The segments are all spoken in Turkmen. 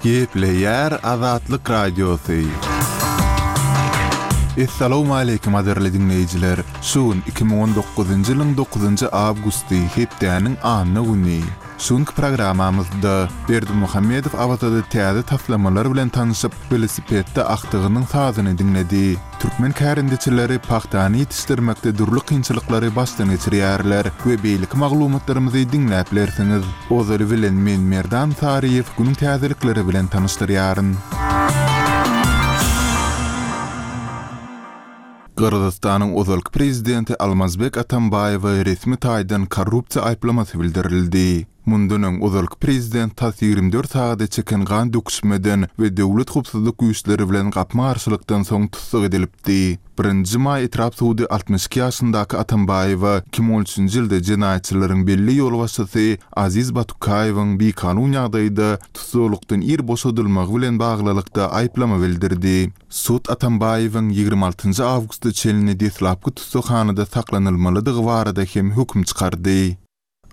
Gepleýär Azatlyk Radiosy. Essalawmaleýkim gadyrly diňleýjiler! Şu gün 2019-njy ýylyň dokuzynjy awgusty, hepdäniň anna güni. Şu günki programmamyzda Berdimuhamedow Awazada täze taslamalar bilen tanyşyp, welosipedde agtygynyň sazyny diňledi. Türkmen kärendeçileri pagtany ýetişdirmekde dürli kynçylyklary başdan geçirýärler we beýleki maglumatlarymyzy diňläp bilersiňiz. Ozaly bilen men Merdan Saryýew günüň täzelikleri bilen tanyşdyrýaryn. Gyrgyzystanyň ozalky prezidenti Almazbek Atambaýewe resmi taýdan korrupsiýa aýyplamasy bildirildi. Mundan öň ozalky prezident tas 24 sagada çeken gan döküşmeden we döwlet howpsuzlyk güýçleri bilen gapma-garşylykdan soň tussag edilipdi. Birinji maý etrap sudy 62 ýaşyndaky Atambaýewe 2013-nji ýylda jenaýatçylaryň belli ýolbaşçysy Aziz Batukaýewiň bikanun ýagdaýda tussaglykdan ir boşadylmagy bilen baglylykda aýyplama bildirdi. Sud Atambaýewiň 26 njy awgusta çenli deslapky tussaghanada saklanylmalydygy barada hem höküm çykardy.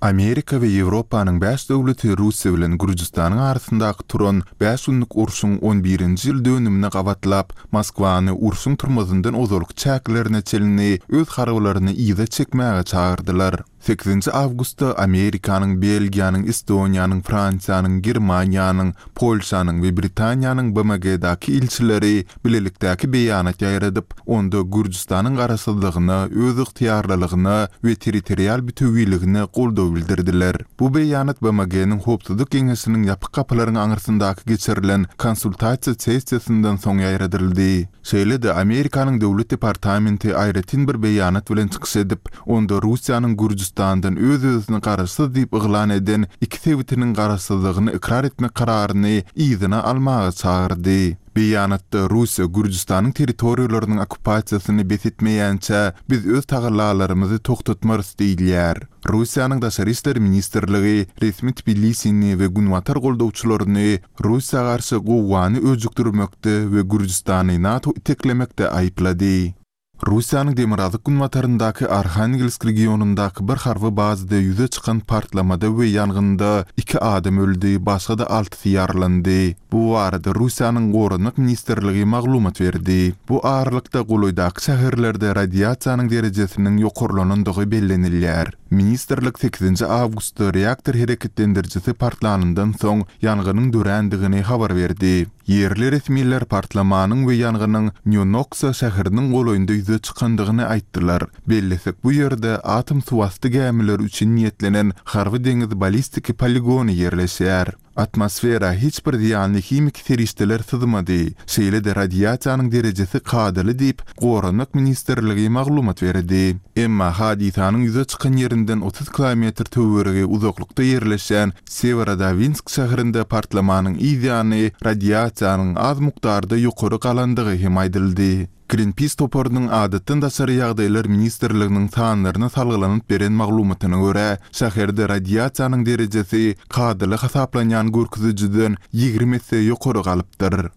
Amerika we Ýewropanyň bäş döwleti Russiýa bilen Gürjüstanyň arasyndaky turan bäş günlük urşuň on birinji ýyl dönümine gabatlap, Moskwany urşuň turmazyndan ozalky çäklerine çenli öz harbylaryny yza çekmäge çagyrdylar. Sekizinji awgustda Amerikanyň, Belgiýanyň, Estoniýanyň, Fransiýanyň, Germaniýanyň, Polşanyň we Britaniýanyň BMG-daky ilçileri bilelikdäki beýanat ýaýradyp, onda Gürjüstanyň garaşsyzlygyna, özygtyýarlylygyna we territorial bütewiligine goldaw bildirdiler. Bu beýanat BMG-niň Howpsuzlyk Geňeşiniň ýapyk gapylaryň aňyrsyndaky geçirilen konsultasiýa sessiýasyndan soň ýaýradyldy. Şeýle-de, Amerikanyň Döwlet departamenti aýratyn bir beýanat bilen çykyş edip, onda Russiýanyň Gürjüstandan öz-özüni garaşsyz diýip yglan eden iki sebitiniň garaşsyzlygyny ykrar etmek kararyny yzyna almaga çagyrdy. Beýanatda Russiýa Gürjüstanyň territoriýalarynyň okkupasiýasyny bes etmeýänçä, biz öz tagallalarymyzy togtatmarys diýilýär. Russiýanyň Daşary işler ministrligi resmi Tbilisini we günbatar goldawçylaryny Russiýa garşy gowgany öjükdirmekde we Gürjüstany NATO iteklemekde aýyplady. Russiýanyň demirgazyk-günbataryndaky Arhangelsk regionyndaky bir harby bazada ýüze çykan partlamada we ýangynda iki adam öldi, başga-da altysy ýaralandy. Bu barada Russiýanyň Goranmak ministrligi maglumat berdi. Bu aralykda, golaýdaky şäherlerde radiasiýanyň derejesiniň ýokarlanandygy bellenilýär. Ministrlik sekizinji awgustda reaktor hereketlendirijisi partlanyndan soň ýangynyň dörändigini habar berdi. Ýerli resmiler partlamanyň we ýangynyň Nýonoksa şäheriniň golaýynda ýüze çykandygyny aýtdylar. Bellesek, bu ýerde atom suwasty gämileri üçin niýetlenen harby-deňiz balistiki poligony ýerleşýär. Atmosfera hiç bir zyýanly himiki serişdeler syzmady, şeýle-de radiasiýanyň derejesi kadaly diýip, Goranmak ministrligi maglumat berdi. Emma hadysanyň ýüze çykan ýerinden 30 kilometr töweregi uzaklykda ýerleşýän Sewerodawinsk şäherinde partlamanyň yz ýany radiasiýanyň az mukdarda ýokary galandygy hem aýdyldy. Greenpeace toparynyň Adatdan daşary ýagdaýlar ministrliginiň sanlaryna salgylanyp beren maglumatyna görä, şäherde radiasiýanyň derejesi kadaly hasaplanýan görkezijiden 20 esse ýokary galypdyr.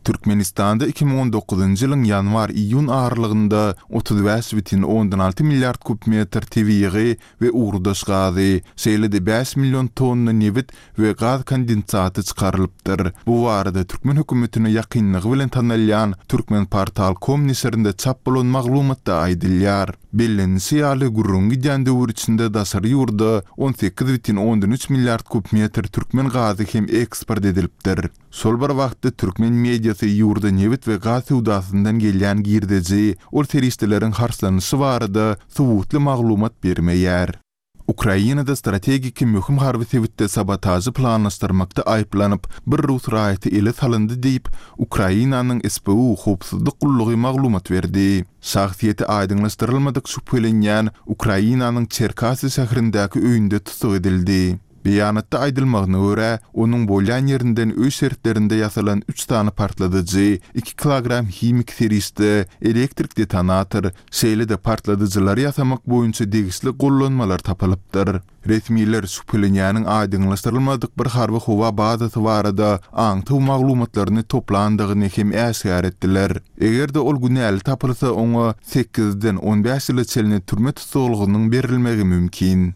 Türkmenistanda 2019-njy ýylyň ýanwar-iýun aralygynda 35,6 milliard kub metr tebigy we ugurdaş gazy, şeýle-de bäş million tonna nebit we gaz kondensaty çykarylypdyr. Bu barada türkmen hökümetine ýakynlygy bilen tanalýan Turkmenportal. Com neşirinde çap bolan maglumatda aýdylýar. Bellenilişi ýaly, gürrüňi gidýän döwür içinde daşary ýurda 18,3 milliard kub metr türkmen gazy hem eksport edilipdir. Şol bir wagtda, türkmen mediasy ýurda nebit we gaz söwdasyndan gelýän girdeji, ol serişdeleriň harçlanyşy barada suwutly maglumat bermeýär. Ukrainada strategiki möhüm harby sebitde sabotažy planlaşdyrmakda aýyplanyp, bir rus raýaty ele salyndy diýip, Ukrainanyň SBU howpsuzlyk gullugy maglumat berdi. Şahsyýeti aýdyňlaşdyrylmadyk şübhelenýän Ukrainanyň Çerkasy şäherindäki öýünde tussag edildi. Beýanatda aýdylmagyna görä, onuň bolýan ýerinden öý şertlerinde ýasalan üç sany partladyjy, iki kilogram himiki serişde, elektrik detonator, şeýle-de partladyjylary ýasamak boýunça degişli gollanmalar tapylypdyr. Resmiler şübhelenýäniň aýdyňlaşdyrylmadyk bir harby howa bazasy barada aňtaw maglumatlaryny toplandygyny hem äşgär etdiler. Eger-de ol günäli tapylsa, oňa sekizden on bäş ýyla çenli türme tussaglygynyň berilmegi mümkin.